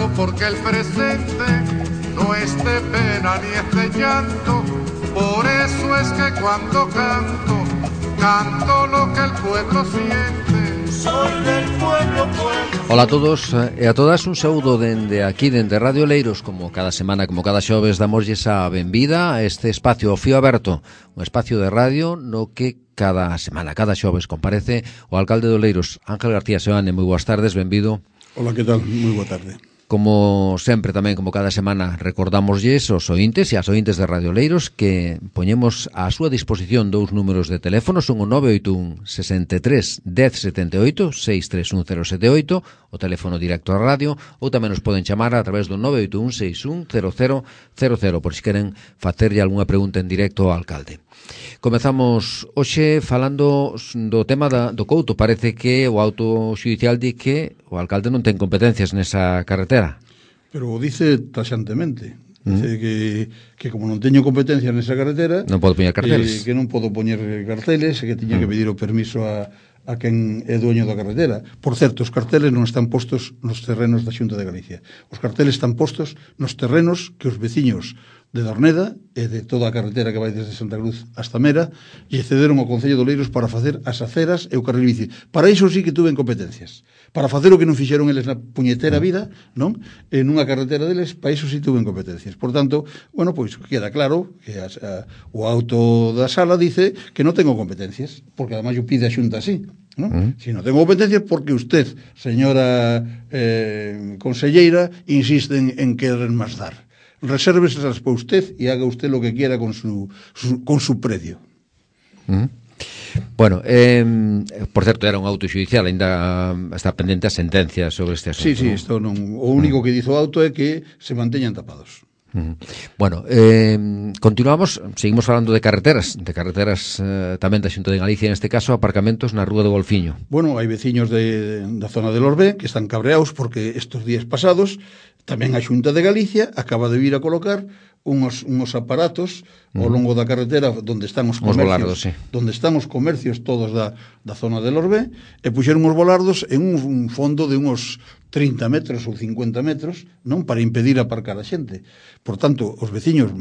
canto porque el presente no es de pena ni es de llanto. Por eso es que cuando canto, canto lo que el pueblo siente. Soy del pueblo, pueblo. Hola a todos e a todas, un saúdo dende aquí, dende Radio Leiros. Como cada semana, como cada xoves, damoslle a benvida a este espacio Fío Aberto, un espacio de radio no que cada semana, cada xoves, comparece o alcalde de Oleiros, Ángel García Seoane. Moi boas tardes, benvido. Hola, que tal? Moi boa tarde. Como sempre tamén, como cada semana, recordamoslles aos ointes e as ointes de Radio Leiros que poñemos á súa disposición dous números de teléfono, son o 981 63 1078, 631078, o teléfono directo á radio, ou tamén nos poden chamar a través do 981 61 0000, por se queren facerlle algunha pregunta en directo ao alcalde. Comezamos hoxe falando do tema do Couto. Parece que o auto xudicial di que o alcalde non ten competencias nesa carretera. Pero o dice taxantemente. Dice que como non teño competencias nesa carretera, non podo poñer carteles. Que non podo poñer carteles, e que tiña que pedir o permiso a quen é dueño da carretera. Por certo, os carteles non están postos nos terrenos da Xunta de Galicia. Os carteles están postos nos terrenos que os veciños de Dorneda e de toda a carretera que vai desde Santa Cruz hasta Mera e cederon ao Concello de Oleiros para facer as aceras e o carril bici. Para iso sí que tuven competencias. Para facer o que non fixeron eles na puñetera vida, non? En unha carretera deles, para iso sí tuven competencias. Por tanto, bueno, pois queda claro que o auto da sala dice que non tengo competencias, porque además yo pide a Xunta así, non? Si non tengo competencias porque usted, señora conselleira, insiste en querer más dar. Resérvesas para usted y haga usted lo que quiera con su predio. Bueno, por certo, era un auto xudicial, ainda está pendente a sentencia sobre este asunto. Sí, isto non. O único que dizo o auto é que se manteñan tapados. Bueno, continuamos, seguimos falando de carreteras tamén da Xunta de Galicia, en este caso aparcamentos na Rúa do Golfiño. Bueno, hai veciños da zona de Lorbé que están cabreados porque estes días pasados tamén a Xunta de Galicia acaba de vir a colocar uns aparatos ao longo da carretera onde están os comercios, volardos, sí. Onde están os comercios todos da zona de Lorbé, e puxeron os volardos en un fondo de uns 30 metros ou 50 metros, non, para impedir aparcar a xente. Por tanto, os veciños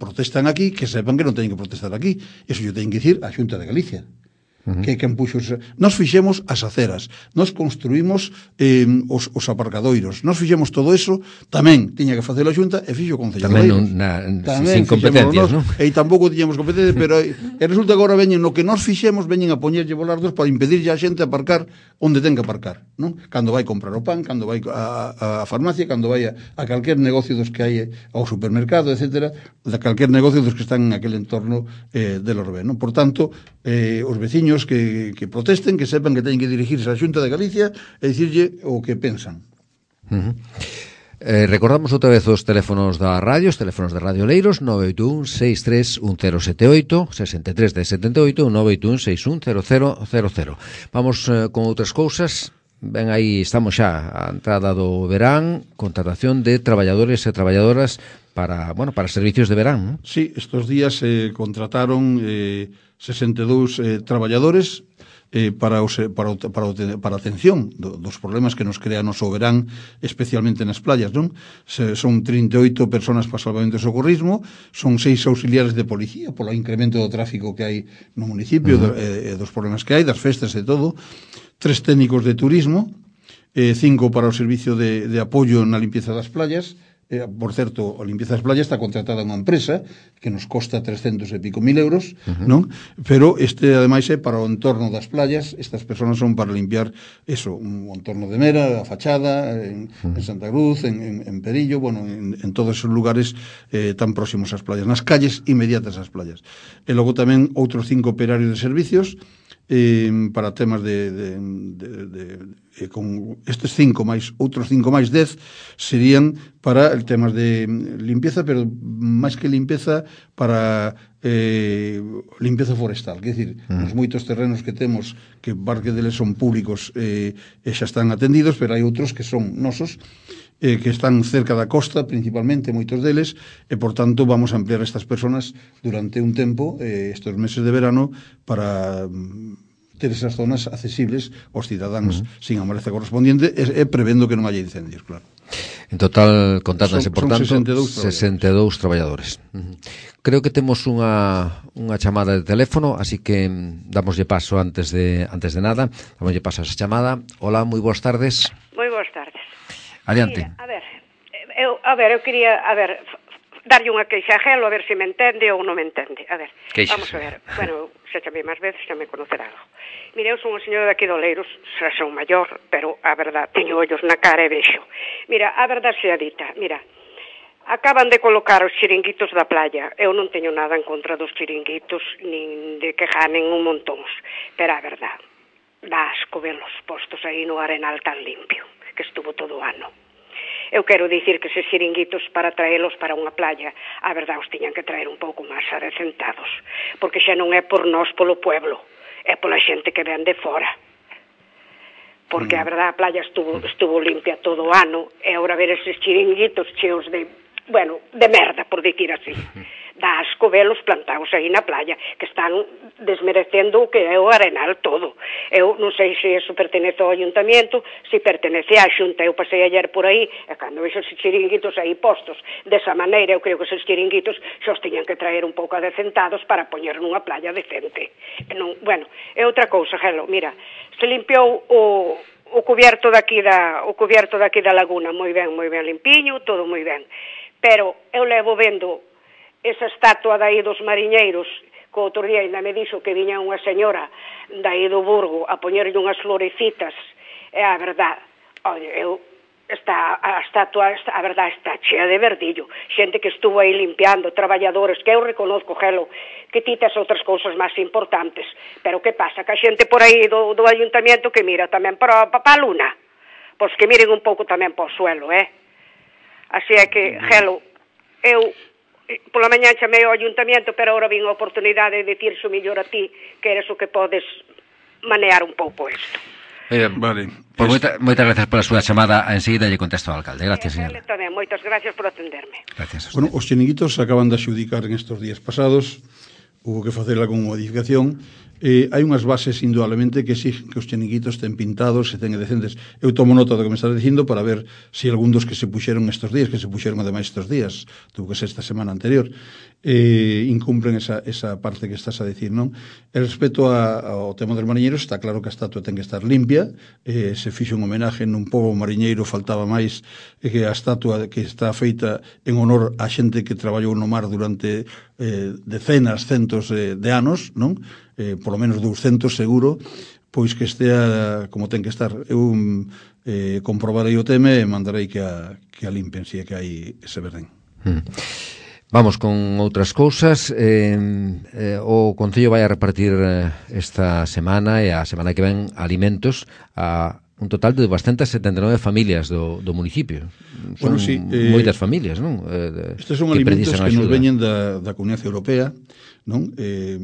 protestan aquí, que sepan que non teñen que protestar aquí. Eso yo teñen que dicir a Xunta de Galicia. Que quen puxo nos fixemos as aceras, nos construímos os aparcadoiros, nos fixemos todo eso, tamén tiña que facelo a Xunta e fixo o Concello tamén tamén sin competencias, non? E tampouco tiñamos competencias, pero resulta que agora veñen no que nos fixemos, veñen a poñerlle volardos para impedirlle a xente aparcar onde ten que aparcar, non? Cando vai comprar o pan, cando vai a farmacia, cando vai a calquer negocio dos que hai ao supermercado, etcétera, de calquer negocio dos que están en aquel entorno de Lorbé, non? Por tanto, os veciños que protesten, que sepan que teñen que dirigirse á Xunta de Galicia e dicirlle o que pensan. Recordamos outra vez os teléfonos da radio, os teléfonos de Radio Leiros, 981 631078, 631078, 981 610000. Vamos con outras cousas. Ben, aí estamos xa a entrada do verán, contratación de traballadores e traballadoras para servicios de verán, non? Sí, estes días se contrataron 62 traballadores para a atención dos problemas que nos crea o noso verán, especialmente nas playas, non? Son 38 personas para salvamento e socorrismo, son 6 auxiliares de policía polo incremento do tráfico que hai no municipio, dos problemas que hai, das festas e todo, 3 técnicos de turismo, 5 para o servicio de apoio na limpieza das playas. Por certo, a limpieza das playas está contratada unha empresa que nos costa 300 e pico mil euros, non? Pero ademais é para o entorno das playas. Estas persoas son para limpiar eso, o entorno de Mera, a fachada, en Santa Cruz, en Perillo, bueno, en todos esos lugares tan próximos ás playas, nas calles inmediatas ás playas. E logo tamén outros 5 operarios de servicios para temas con estes 5 máis outros 5 máis 10 serían para temas de limpieza, pero máis que limpeza, para limpieza forestal, quer dicir, os moitos terrenos que temos que parte deles son públicos e xa están atendidos, pero hai outros que son nosos, que están cerca da costa, principalmente, moitos deles, e, por tanto, vamos a ampliar estas personas durante un tempo, estes meses de verano, para ter esas zonas accesibles aos cidadáns sin a maleza correspondiente e prevendo que non haya incendios, claro. En total, contátanse, por tanto, 62 traballadores. Creo que temos unha chamada de teléfono, así que damoslle paso antes de nada. Damoslle paso a esa chamada. Hola, moi boas tardes. Moi boas tardes. Adiante. Mira, eu quería, darlle unha queixa a Gelo, a ver se me entende ou non me entende. A ver, Queixas. Vamos a ver. Bueno, xa chamei máis veces, xa me conocerá algo. Mire, eu son unha señora daqui de Oleiros, xa son maior, pero a verdad, teño ollos na cara e vexo. Mira, a verdad sea dita, mira, acaban de colocar os chiringuitos da playa. Eu non teño nada en contra dos chiringuitos, nin de que ganen un montóns. Pero a verdad, dá asco velos postos aí no arenal tan limpio, que estuvo todo o ano. Eu quero dicir que eses chiringuitos para traelos para unha playa, a verdad, os tiñan que traer un pouco máis adecentados, porque xa non é por nós polo pueblo, é pola xente que ven de fora. Porque a verdad a playa estuvo limpia todo o ano, e agora ver eses chiringuitos cheos de merda, por dicir así. Dá asco velos plantados aí na playa, que están desmerecendo o que é o arenal todo. Eu non sei se eso pertenece ao ayuntamiento, se pertenece á xunta. Eu pasei ayer por aí, e cando vexo esos chiringuitos aí postos desa maneira, eu creo que esos chiringuitos xa os tiñan que traer un pouco adecentados para poñer nunha playa decente. É outra cousa, Gelo, mira, se limpiou o cubierto daqui da laguna, moi ben limpiño, todo moi ben. Pero eu levo vendo esa estatua dai dos mariñeiros, que outro día ainda me dixo que viña unha señora dai do Burgo a poñerlle unhas florecitas, e a verdad, a estatua, a verdad, está chea de verdillo, xente que estuvo aí limpiando, traballadores, que eu reconozco, Gelo, que ti tes outras cousas máis importantes, pero que pasa? Que a xente por aí do ayuntamiento que mira tamén para a luna, pois que miren un pouco tamén para o suelo, Así é que, Gelo, eu pola mañá chamei ao ayuntamiento, pero agora vin a oportunidade de dicirse o mellor a ti, que eres o que podes manear un pouco isto. Vale. Pues moitas gracias pola súa chamada. Enseguida lle contesto ao alcalde. Gracias, señora. Tamén, moitas gracias por atenderme. Gracias. Bueno, os chiringuitos acaban de adxudicar en estos días pasados, hubo que facer algún modificación. Hai unhas bases indudablemente que exigen que os chiringuitos estén pintados e ten decentes. Eu tomo nota do que me estás dicindo para ver se algún dos que se puxeron estes días, que se puxeron ademais estes días, tuvo que ser esta semana anterior, incumplen esa parte que estás a decir, non? E respecto ao tema dos mariñeiros, está claro que a estatua ten que estar limpia, se fixo un homenaje nun pobo mariñeiro, faltaba máis que a estatua que está feita en honor a xente que traballou no mar durante decenas, centos de anos, non? Por lo menos 200 seguro, pois que estea como ten que estar. Eu comprobarei o tema e mandarei que a limpen, se é que hai ese verdén. Vamos con outras cousas. O Concello vai a repartir esta semana e a semana que ven alimentos a un total de 279 familias do municipio. Son moitas familias, non? Estes son alimentos que nos veñen da Comunidade Europea, non?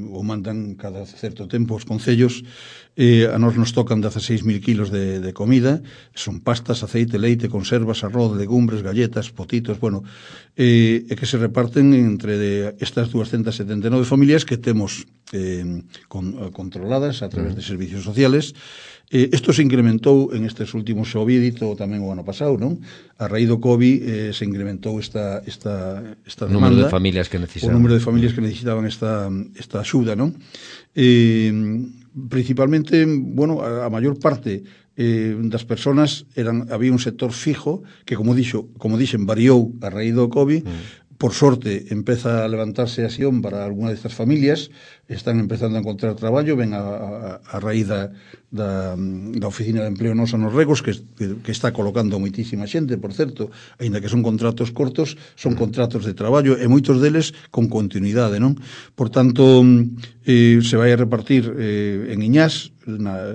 O mandan cada certo tempo os concellos. A nós nos tocan 16.000 kilos de comida, son pastas, aceite, leite, conservas, arroz, legumbres, galletas, potitos, e que se reparten entre estas 279 familias que temos controladas a través de servicios sociales. Isto se incrementou en estes últimos, xa o había dito tamén o ano pasado, non? A raíz do COVID se incrementou esta demanda. O número de familias que necesitaban. O número de familias que necesitaban esta axuda, non? Principalmente, a maior parte das persoas había un sector fijo que, como dixen, variou a raíz do COVID. Por sorte, empeza a levantarse a xión para alguna destas familias, están empezando a encontrar traballo, ven a raíz da Oficina de Empleo Nosa nos Regos, que está colocando moitísima xente, por certo, aínda que son contratos cortos, son contratos de traballo, e moitos deles con continuidade, non? Por tanto, se vai a repartir en Iñás,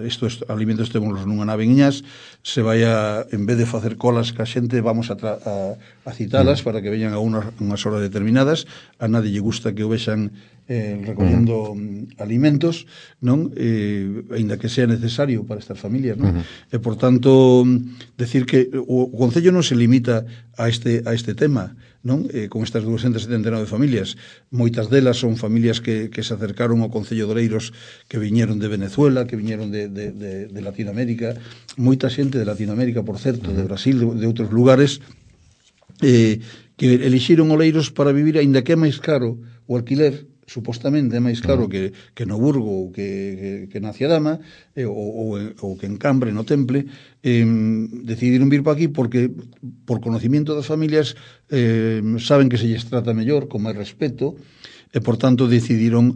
estes alimentos temos nunha nave en Iñás, se vai a, en vez de facer colas ca xente, vamos a citalas para que veñan a unhas horas determinadas. A nadie lle gusta que o vexan recollendo alimentos, non? Aínda que sea necesario para estas familias, non? E, por tanto, decir que o Concello non se limita a este tema, non? Con estas 279 familias, moitas delas son familias que se acercaron ao Concello de Oleiros, que viñeron de Venezuela, que viñeron de Latinoamérica, moita xente de Latinoamérica, por certo, de Brasil, de outros lugares, que elixiron Oleiros para vivir, aínda que é máis caro o alquiler, supostamente é máis caro que no Burgo ou que na Ciadama ou que en Cambre, no Temple, decidiron vir para aquí porque por conocimiento das familias saben que se lles trata mellor, con máis respeto, e por tanto decidiron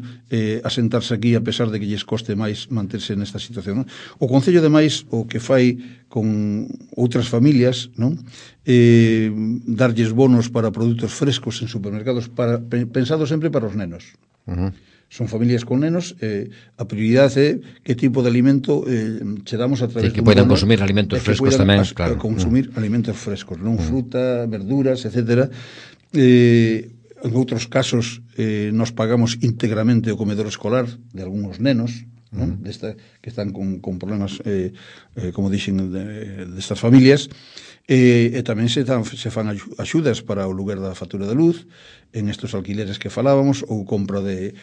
asentarse aquí a pesar de que lles coste máis manterse nesta situación, non? O Concello ademais o que fai con outras familias, non? Darlles bonos para produtos frescos en supermercados pensado sempre para os nenos. Son familias con nenos, a prioridade é que tipo de alimento che damos a través que poidan consumir alimentos frescos tamén, claro. Consumir alimentos frescos, non fruta, verduras, etcétera. En outros casos nos pagamos íntegramente o comedor escolar de algúns nenos, non? Que están con problemas, como dixen, destas familias, e tamén se fan axudas para o lugar da factura de luz en estos alquileres que falábamos, ou compra de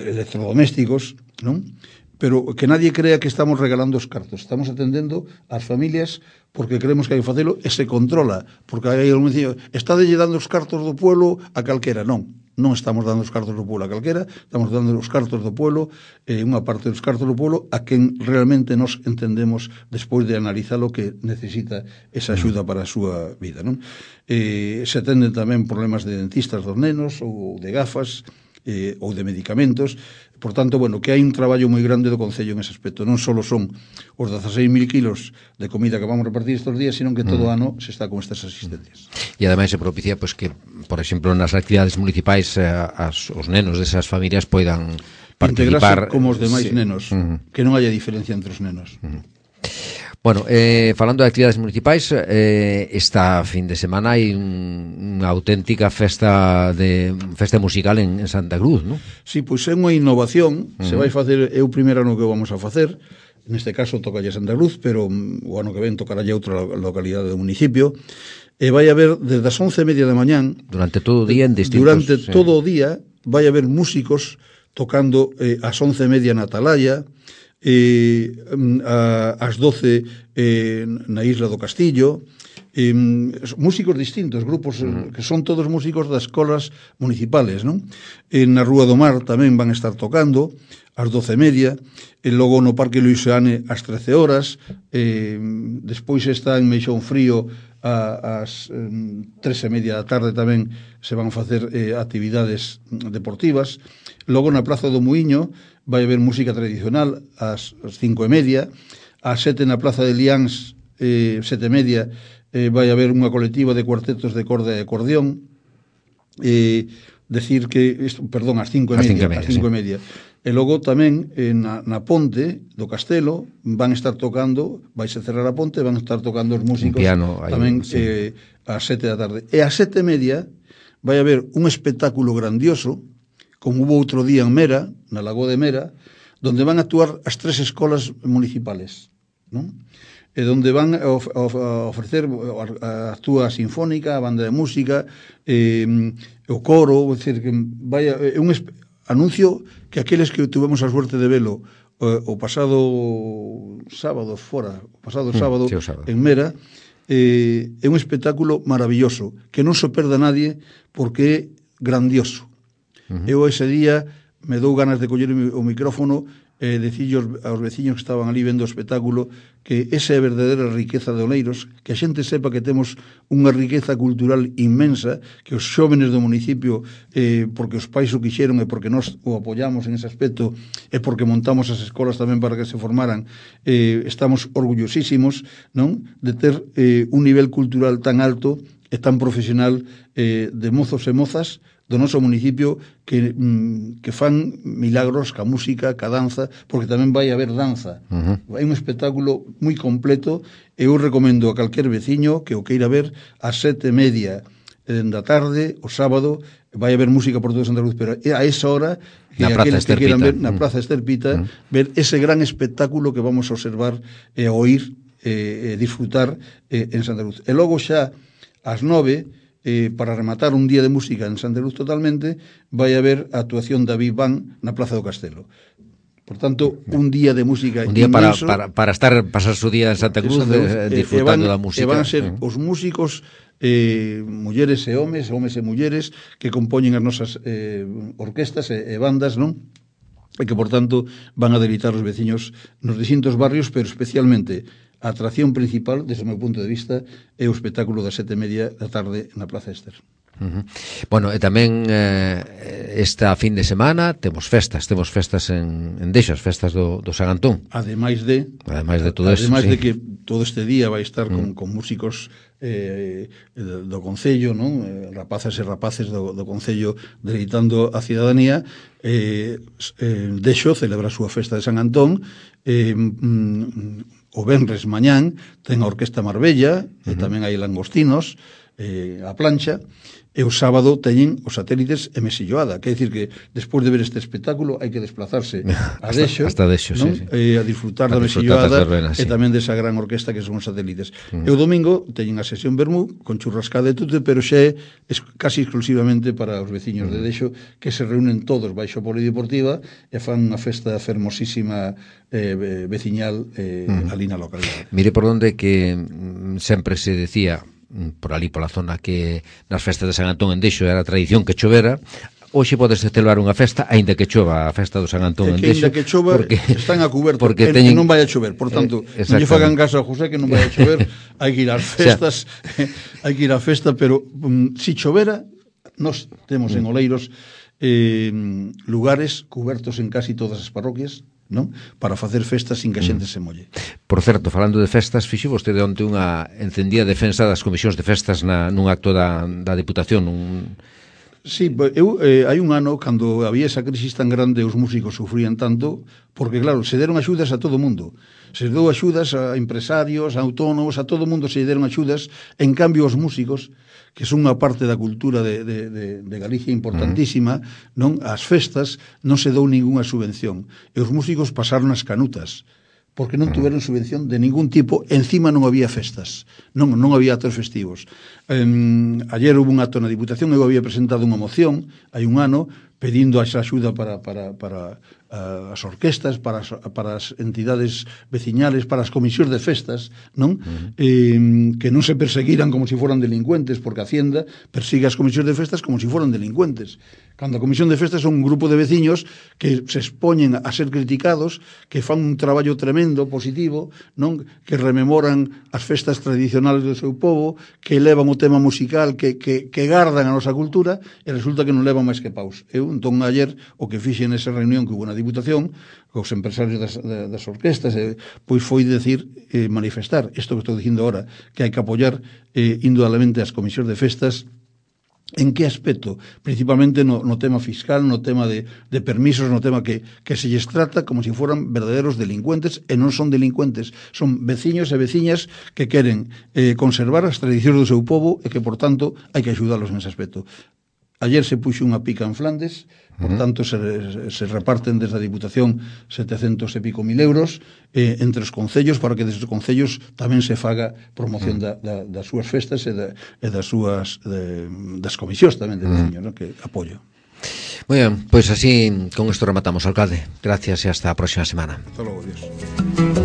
electrodomésticos, non? Pero que nadie crea que estamos regalando os cartos. Estamos atendendo ás familias porque creemos que hai que facelo e se controla. Porque hai algún dicía, está dando os cartos do pueblo a calquera. Non estamos dando os cartos do pueblo a calquera, estamos dando os cartos do pueblo, unha parte dos cartos do pueblo, a quen realmente nos entendemos despois de analizar o que necesita esa axuda para a súa vida, non? Se atenden tamén problemas de dentistas dos nenos ou de gafas, ou de medicamentos. Por tanto, bueno, que hai un traballo moi grande do Concello en ese aspecto. Non só son os 16.000 kilos de comida que vamos a repartir estes días, sino que todo o ano se está con estas asistencias. E ademais se propicia pues, que, por exemplo, nas actividades municipais os nenos desas familias poidan participar como os demais nenos, que non haya diferencia entre os nenos. Bueno, falando de actividades municipais, esta fin de semana hai unha auténtica festa musical en Santa Cruz, non? Sí, pois é unha innovación, se vai facer, é o primeiro ano que vamos a facer, neste caso tocalle Santa Cruz, pero o ano que ven tocará outra localidade do municipio, e vai haber desde as 11:30 da mañán, durante todo o día en distintos... Durante todo o día vai haber músicos tocando ás 11:30 na Atalaya, ás 12 na Isla do Castillo, músicos distintos, grupos que son todos músicos das escolas municipales, non? Na Rúa do Mar tamén van estar tocando ás 12:30, e logo no Parque Luisiane ás 13 horas, despois está en Meixón Frío ás 3:30 da tarde tamén se van facer actividades deportivas. Logo na Praza do Muiño vai haber música tradicional ás 5:30, ás 7 na Plaza de Liáns, 7:30, vai haber unha colectiva de cuartetos de corda e acordeón, decir que, perdón, ás 5:30, e logo tamén na ponte do Castelo van estar tocando, vaise cerrar a ponte, van estar tocando os músicos piano, tamén ás 7 da tarde, e ás 7:30 vai haber un espectáculo grandioso, como hubo outro día en Mera, na Lagoa de Mera, donde van a actuar as 3 escolas municipales, non? E donde van a ofrecer, actúa a Sinfónica, a banda de música, o coro, é dicir, que vaya, é un anuncio que aqueles que tuvemos a suerte de velo o pasado sábado en Mera, é un espectáculo maravilloso, que non se perda nadie porque é grandioso. Eu ese día me dou ganas de coller o micrófono e decillos aos veciños que estaban ali vendo o espectáculo que esa é a verdadeira riqueza de Oleiros, que a xente sepa que temos unha riqueza cultural inmensa, que os xóvenes do municipio, porque os pais o quixeron e porque nós o apoyamos en ese aspecto e porque montamos as escolas tamén para que se formaran, estamos orgullosísimos, non, de ter un nivel cultural tan alto e tan profesional de mozos e mozas do noso municipio que fan milagros ca música, ca danza, porque tamén vai haber danza. Hai un espectáculo moi completo e eu recomendo a calquer veciño que o queira ver ás 7:30 da tarde, o sábado, vai haber música por todo Santa Cruz, pero a esa hora que aqueles que queiran ver na Praza Esterpita, ver ese gran espectáculo que vamos a observar e a oír e disfrutar en Santa Cruz. E logo xa ás 9, para rematar un día de música en Santa Cruz totalmente, vai haber a actuación da Big Band na Plaza do Castelo. Por tanto, un día de música un día inmenso, para pasar su día en Santa Cruz disfrutando da música. E van ser os músicos, mulleres e homes e mulleres que compoñen as nosas orquestas e bandas, non? E que, por tanto, van a deleitar os veciños nos distintos barrios, pero especialmente a atracción principal, desde o meu punto de vista, é o espectáculo das 7:30 da tarde na Plaza Ester. Bueno, e tamén esta fin de semana temos festas en Dexo, as festas do San Antón. Ademais de todo eso, ademais sí. de que todo este día vai estar con músicos do Concello, non? Rapazas e rapaces do Concello deleitando a cidadanía. Dexo celebra a súa festa de San Antón. O venres mañán ten a Orquesta Marbella, e tamén hai langostinos, a plancha. E o sábado teñen os satélites e Mesilloada, quer dicir que despois de ver este espectáculo hai que desplazarse a Dexo, hasta Dexo, non? Sí. A disfrutar da Mesilloada verbenas, e tamén desa gran orquesta que son os satélites. E o domingo teñen a sesión Bermú con churrascada e tute, pero xa é casi exclusivamente para os veciños de Dexo, que se reúnen todos baixo a polideportiva e fan unha festa fermosísima veciñal ali na localidade. Mire por onde que sempre se decía por ali pola zona que nas festas de San Antón en Dexo era a tradición que chovera. Hoxe podes celebrar unha festa aínda que chova a festa do San Antón en Dexo, aínda que chova, están a cuberto porque teñen... non vai a chover, por tanto, non lle fagan caso a José que non vai a chover, hai que ir ás festas, hai que ir á festa, pero si chovera, nós temos en Oleiros lugares cubertos en casi todas as parroquias, non? Para facer festas sin que a xente se molle. Por certo, falando de festas, fixo vostede onte unha encendida defensa das comisións de festas nun acto da Diputación. Sí, hai un ano, cando había esa crisis tan grande, os músicos sufrían tanto, porque claro, se deron axudas a todo mundo. Se deu axudas a empresarios, a autónomos, a todo mundo se deron axudas. En cambio, os músicos, que son unha parte da cultura de Galicia importantísima, non, as festas non se dou ningunha subvención. E os músicos pasaron as canutas, porque non tuveron subvención de ningún tipo, encima non había festas, non había actos festivos. Ayer hubo un acto na Diputación, eu había presentado unha moción, hai un ano, pedindo a axuda para as orquestas, para as entidades veciñales, para as comisións de festas, non? Que non se perseguiran como se foran delincuentes, porque a Hacienda persigue as comisións de festas como se foran delincuentes. Cando a comisión de festas son un grupo de veciños que se expoñen a ser criticados, que fan un traballo tremendo, positivo, non? Que rememoran as festas tradicionales do seu povo, que elevan o tema musical, que gardan a nosa cultura, e resulta que non levan máis que paus. Eu, entón, ayer, o que fixe nesa reunión que hubo na Diputación, cos empresarios das orquestas, pois foi decir, manifestar isto que estou dicindo agora, que hai que apoiar indudablemente as comisións de festas. En que aspecto? Principalmente no tema fiscal, no tema de permisos, no tema que se lles trata como se foran verdaderos delincuentes, e non son delincuentes, son veciños e veciñas que queren conservar as tradicións do seu povo e que, por tanto, hai que axudalos nese aspecto. Ayer se puxo unha pica en Flandes, por tanto se reparten desde a Diputación 700 e pico mil euros entre os concellos, para que desde os concellos tamén se faga promoción das súas festas e das comisións tamén de veciños, ¿no? Que apoio. Moi ben, pois así con isto rematamos, alcalde. Gracias e hasta a próxima semana. Hasta logo, adiós.